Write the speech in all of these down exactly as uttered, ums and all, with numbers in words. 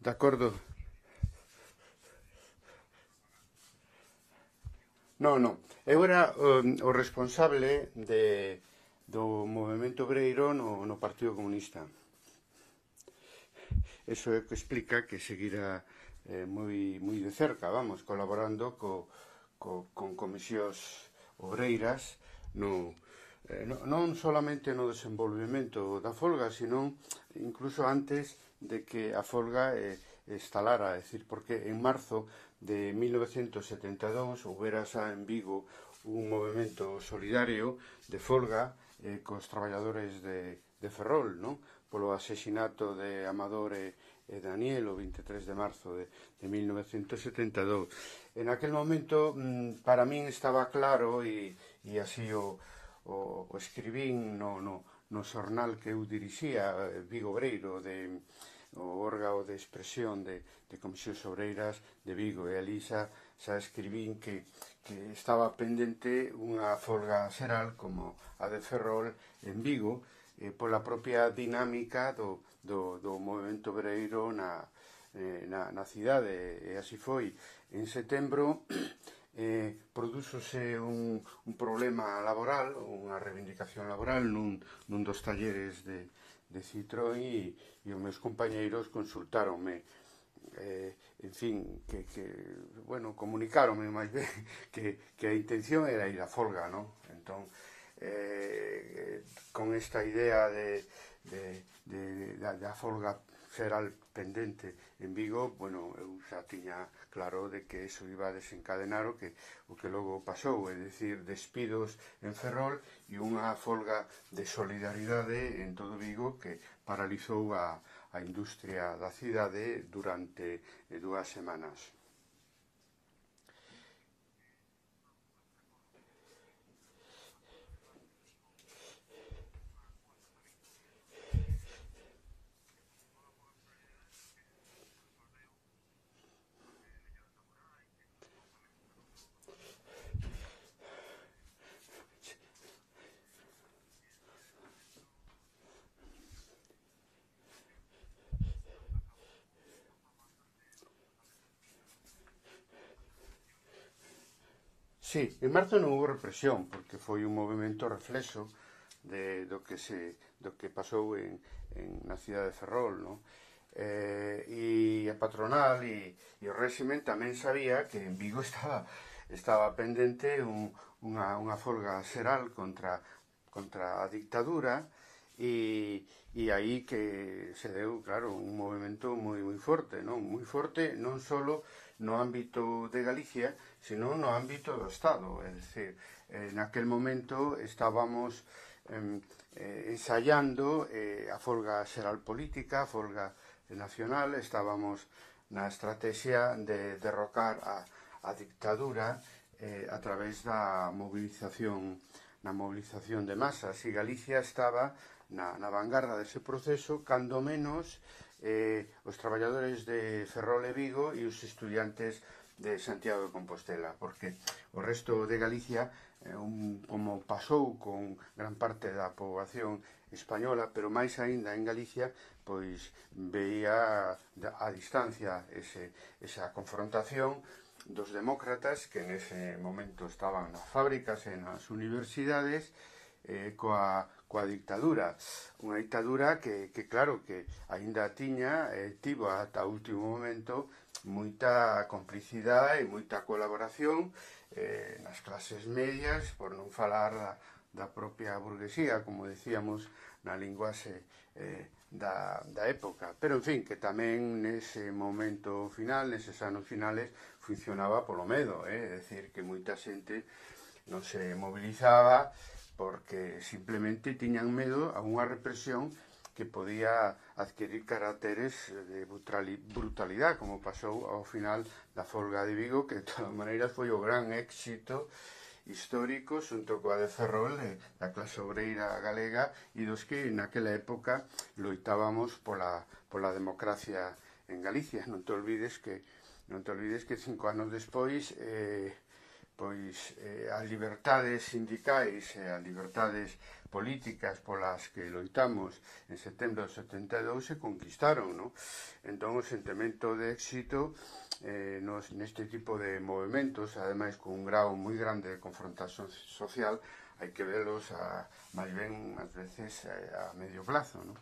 De acordo. Non, non. Eu era um, o responsable de, do movimento obreiro no, no Partido Comunista. Eso é que explica que seguira eh, moi, moi de cerca, vamos, colaborando co, co, con comisións obreiras no, eh, no, non solamente no desenvolvemento da folga, sino incluso antes de que a folga eh, estalara, é dicir, porque en marzo de mil novecentos setenta e dous houbera xa en Vigo un movimento solidario de folga eh, cos traballadores de, de Ferrol, non? Polo asesinato de Amador e, e Daniel o vinte e tres de marzo de, de mil novecentos setenta e dous. En aquel momento, para min estaba claro, e, e así o, o, o escribín no, no, no xornal que eu dirixía, Vigo Obreiro, de, o órgano de expresión de, de comisións obreiras de Vigo, e ali xa, xa escribín que, que estaba pendente unha folga xeral como a de Ferrol en Vigo, eh, pola propia dinámica do, do, do movimento obreiro na, eh, na, na cidade, e así foi. En setembro eh, prodúxose un, un problema laboral, unha reivindicación laboral nun, nun dos talleres de, de Citroën, e, e os meus compañeiros consultáronme, eh, en fin, que, que bueno, comunicáronme máis ben que, que a intención era ir a folga, non? Entón, eh, con esta idea de, de, de, de, da folga xeral pendente en Vigo, bueno, eu xa tiña claro de que eso iba a desencadenar o que, o que logo pasou, é dicir, despidos en Ferrol e unha folga de solidaridade en todo Vigo que paralizou a, a industria da cidade durante dúas semanas. Sí, en marzo non houve represión, porque foi un movimento reflexo de, do, que se, do que pasou en, en, na cidade de Ferrol, non? Eh, e a patronal e, e o réximen tamén sabía que en Vigo estaba, estaba pendente un, unha, unha folga xeral contra, contra a dictadura, e, e aí que se deu, claro, un movimento moi, moi forte, non? Moi forte non só no ámbito de Galicia, sino no ámbito do Estado. É dicir, eh, naquel momento estábamos eh, eh, ensayando eh, a folga xeral política, a folga nacional, estábamos na estrategia de derrocar a, a dictadura eh, a través da movilización na movilización de masas, e Galicia estaba na, na vanguarda dese proceso, cando menos eh, os traballadores de Ferrol e Vigo e os estudiantes de Santiago de Compostela, porque o resto de Galicia, eh, un, como pasou con gran parte da poboación española, pero máis aínda en Galicia, pois veía a distancia ese, esa confrontación dos demócratas que nese momento estaban nas fábricas e nas universidades eh, coa, coa dictadura. Unha dictadura que, que claro, que aínda tiña, eh, tivo ata o último momento moita complicidade e moita colaboración eh, nas clases medias, por non falar da, da propia burguesía, como decíamos na linguaxe eh, da, da época. Pero, en fin, que tamén nese momento final, neses anos finales, funcionaba polo medo, eh? É dicir, que moita xente non se mobilizaba porque simplemente tiñan medo a unha represión que podía adquirir caracteres de brutalidade, como pasou ao final da folga de Vigo, que de todas maneiras foi o gran éxito histórico xunto coa de Ferrol da clase obreira galega e dos que naquela época loitábamos pola, pola democracia en Galicia. Non te olvides que non te olvides que cinco anos despois eh, pois eh, as liberdades sindicais e as liberdades políticas polas que loitamos en setembro de setenta e dous se conquistaron, non? Entón o sentimento de éxito eh, nos, neste tipo de movimentos, ademais con un grau moi grande de confrontación social, hai que velos a, máis ben, ás veces, a, a medio plazo, non?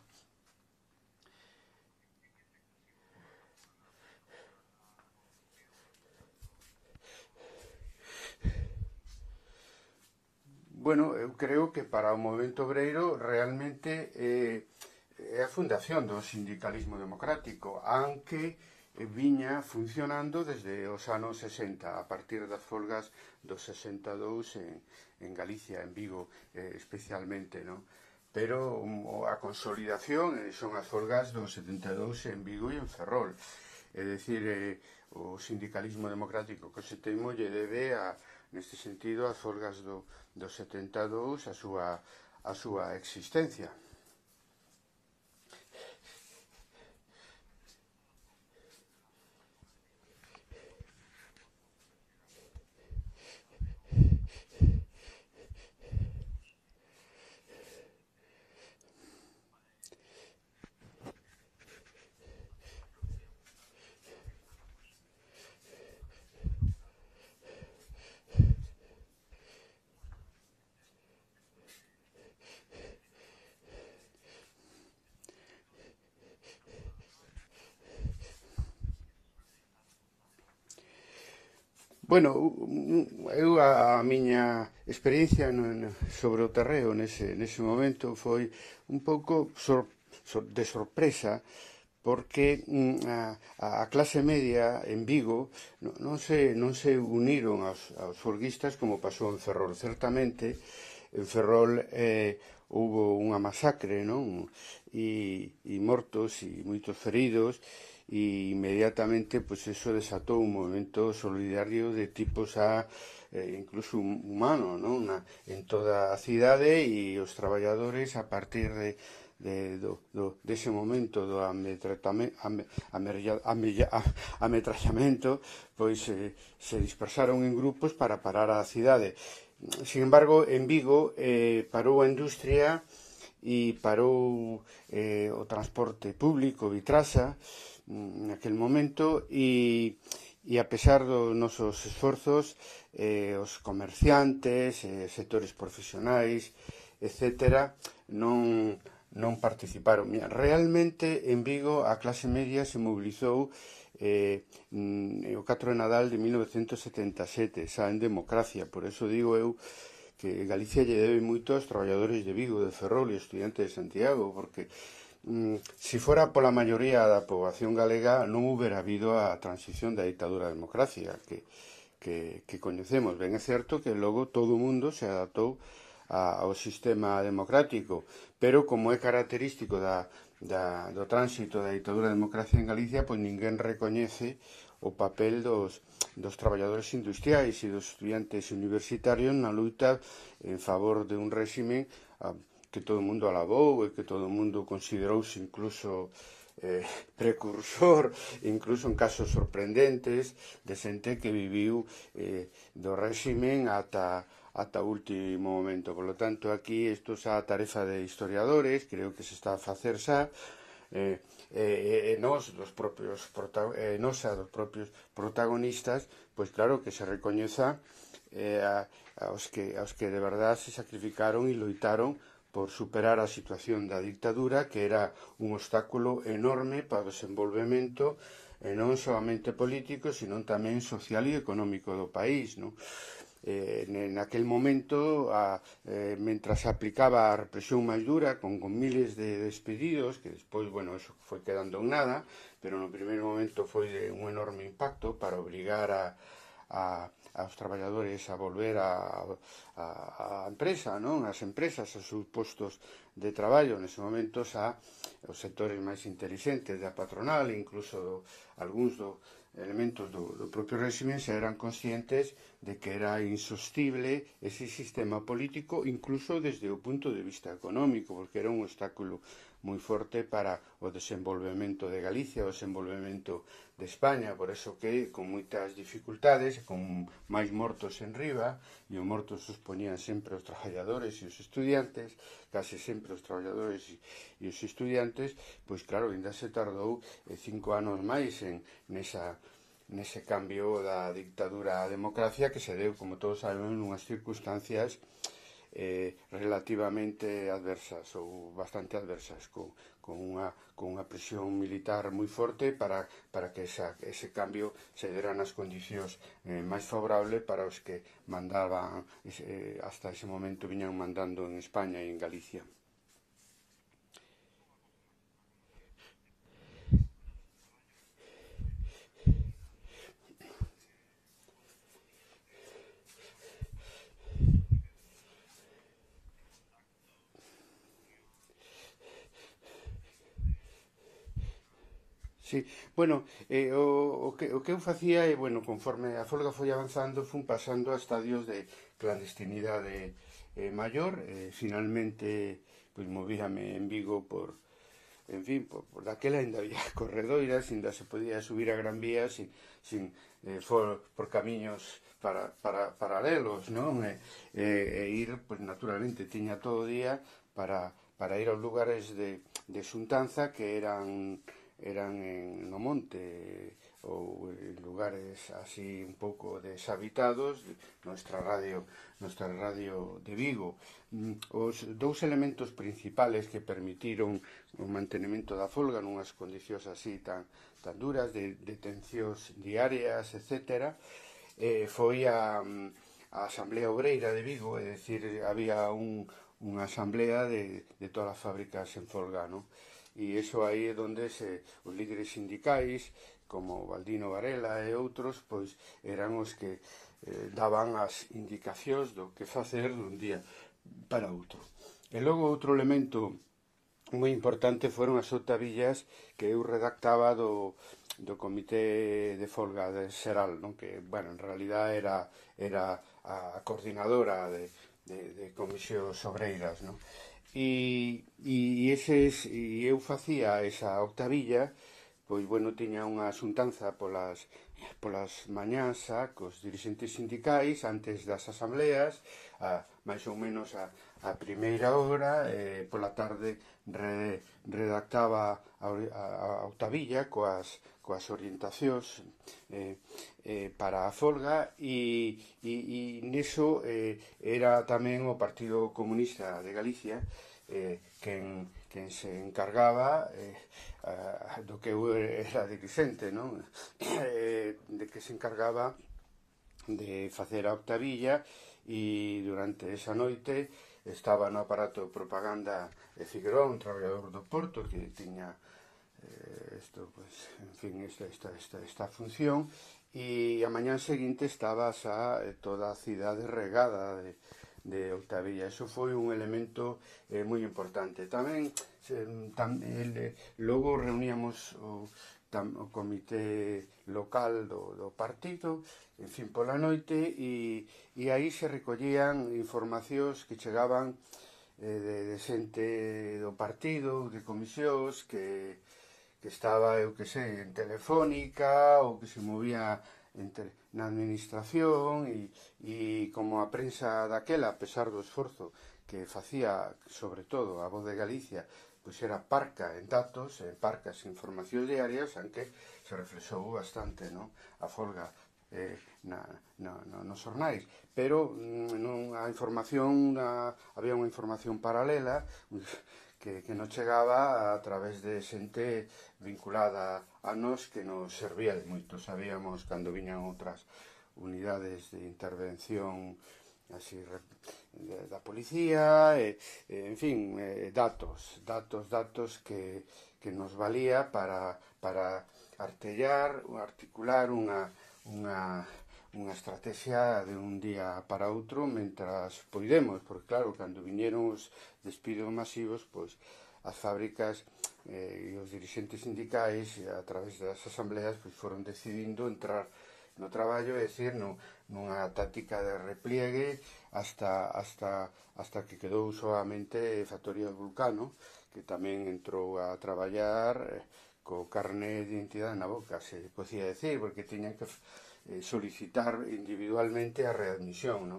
Bueno, eu creo que para o movimento obreiro realmente eh, é a fundación do sindicalismo democrático, aunque eh, viña funcionando desde os anos sesenta, a partir das folgas do sesenta e dous en, en Galicia, en Vigo, eh, especialmente, non? Pero um, a consolidación eh, son as folgas do setenta e dous en Vigo e en Ferrol. É dicir, eh, o sindicalismo democrático que se teimo lle debe a, neste sentido, as folgas do, do setenta e dous a súa, a súa existencia. Bueno, eu a, a miña experiencia no, no, sobre o terreo nese, nese momento foi un pouco sor, sor, de sorpresa porque mm, a, a clase media en Vigo non, non, se, non se uniron aos, aos folguistas como pasou en Ferrol. Certamente en Ferrol eh, houve unha masacre, non? E, e mortos e moitos feridos, e inmediatamente pois eso desatou un movimento solidario de tipo xa eh, incluso humano, non? Na, en toda a cidade, e os traballadores a partir de, de do, do, dese momento do ametrallamento pois eh, se dispersaron en grupos para parar a cidade. Sin embargo, en Vigo eh, parou a industria e parou eh, o transporte público, Vitrasa, naquel momento, e, e a pesar dos nosos esforzos, eh, os comerciantes, eh, sectores profesionais, etcétera, non, non participaron. Realmente, en Vigo, a clase media se mobilizou eh, o catro de Nadal de mil novecientos setenta e sete, xa en democracia. Por eso digo eu que Galicia lle debe moito aos traballadores de Vigo, de Ferrol e estudiantes de Santiago, porque si fora pola maioría da poboación galega non houbera habido a transición da ditadura á democracia que, que, que coñecemos. Ben é certo que logo todo o mundo se adaptou a, ao sistema democrático, pero como é característico da, da, do tránsito da ditadura á democracia en Galicia, pois ninguén recoñece o papel dos, dos traballadores industriais e dos estudiantes universitarios na luta en favor de un réxime a, que todo o mundo alabou e que todo o mundo considerouse incluso eh, precursor, incluso en casos sorprendentes, de xente que viviu eh, do réximen ata, ata o último momento. Por lo tanto, aquí isto xa a tarefa de historiadores, creo que se está a facer xa, eh, e eh, nos, dos propios eh, nosa, dos propios protagonistas, pois claro que se recoñeza eh, a, aos, que, aos que de verdade se sacrificaron e loitaron por superar a situación da dictadura, que era un obstáculo enorme para o desenvolvemento eh, non solamente político, sino tamén social e económico do país, non? Eh, naquel momento, a, eh, mentras se aplicaba a represión máis dura, con, con miles de despedidos, que despois, bueno, eso foi quedando en nada, pero no primeiro momento foi de un enorme impacto para obrigar a, a aos traballadores a volver a, a, a empresa, non? As empresas, aos seus postos de traballo nese momento xa os sectores máis intelixentes da patronal, incluso do, algúns do elementos do, do propio réxime xa eran conscientes de que era insostible ese sistema político incluso desde o punto de vista económico, porque era un obstáculo moi forte para o desenvolvemento de Galicia, o desenvolvemento de España, por eso que con moitas dificultades, con máis mortos en riba, e os mortos os poñían sempre os traballadores e os estudiantes, case sempre os traballadores e os estudiantes, pois claro, ainda se tardou eh, cinco anos máis en nesa nese cambio da dictadura á democracia que se deu, como todos sabemos, nunhas circunstancias eh, relativamente adversas ou bastante adversas, con, con, unha, con unha presión militar moi forte para, para que esa, ese cambio se dera nas condicións eh, máis favorables para os que mandaban, eh, hasta ese momento viñan mandando en España e en Galicia. Sí, bueno, eh, o, o, que, o que eu facía é, bueno, conforme a folga foi avanzando, fun pasando a estadios de clandestinidade eh, maior, eh, finalmente, pois, movíame en Vigo por, en fin, por, por daquela ainda había corredoiras, ainda se podía subir a Gran Vía sin, sin eh, for, por camiños para, para, paralelos, non? E, e, e ir, pois, naturalmente, tiña todo o día para, para ir aos lugares de, de xuntanza que eran eran en no monte ou en lugares así un pouco deshabitados. Nuestra radio, nuestra radio de Vigo, os dous elementos principales que permitiron o mantenimento da folga nunhas condicións así tan, tan duras, de detencións diarias, etcétera, eh, foi a, a Asamblea Obreira de Vigo, é dicir, había un, unha asamblea de, de todas as fábricas en folga, non? E iso aí é onde se, os líderes sindicais, como Baldino Varela e outros, pois eran os que eh, daban as indicacións do que facer dun día para outro. E logo outro elemento moi importante foron as octavillas que eu redactaba do, do Comité de Folga de Xeral, non? Que, bueno, en realidad era, era a coordinadora de, de, de comisións obreiras, non? E, e, eses, e eu facía esa octavilla, pois, bueno, tiña unha xuntanza polas, polas mañás a, cos dirixentes sindicais antes das asambleas, a, máis ou menos a, a primeira hora, e pola tarde re, redactaba a, a, a octavilla coas, coas orientacións eh, eh, para a folga, e, e, e neso eh, era tamén o Partido Comunista de Galicia eh, quen, quen se encargaba eh, a, do que eu era dirixente, non? Eh, de que se encargaba de facer a octavilla, e durante esa noite estaba no aparato de propaganda de Figueroa, un traballador do Porto que tiña eh, esto, pues, en fin, esta, esta, esta, esta función, e a mañán seguinte estaba xa toda a cidade regada de, de octavilla. Eso foi un elemento eh, moi importante. Tamén, eh, tam, el, logo reuníamos o, tam, o comité local do, do partido, en fin, pola noite, e, e aí se recollían informacións que chegaban eh, de, de xente do partido, de comisións, que, que estaba, eu que sei, en Telefónica, ou que se movía entre, na administración, e, e como a prensa daquela, a pesar do esforzo que facía, sobre todo, a Voz de Galicia, pois era parca en datos, en parcas en informacións diarias, aunque se reflexou bastante, non? A folga eh, na, na, na, nos xornais, pero non a información, na, había unha información paralela que, que non chegaba a través de xente vinculada a nos, que nos servía de moito. Sabíamos cando viñan outras unidades de intervención así de, da policía, e, e, en fin, eh, datos, datos, datos que, que nos valía para, para artellar, articular unha, unha, unha estrategia de un día para outro mentras poidemos, porque claro, cando viñeron os despidos masivos, pois as fábricas eh, e os dirixentes sindicais a través das asambleas pois, foron decidindo entrar no traballo, é dicir, no, nunha táctica de repliegue hasta, hasta, hasta que quedou solamente Factoría Vulcano, que tamén entrou a traballar eh, co carné de identidade na boca, se podía decir, porque tiñan que eh, solicitar individualmente a readmisión, no?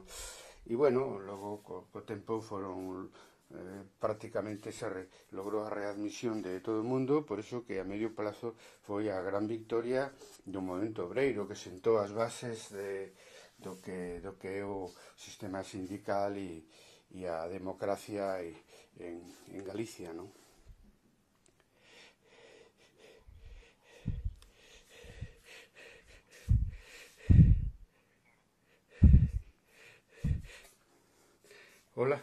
E, bueno, logo, co, co tempo foron eh, prácticamente se re, logrou a readmisión de todo o mundo, por iso que a medio plazo foi a gran victoria do movemento obreiro, que sentou as bases de, do, que, do que é o sistema sindical e, e a democracia e, en, en Galicia, non? Hola.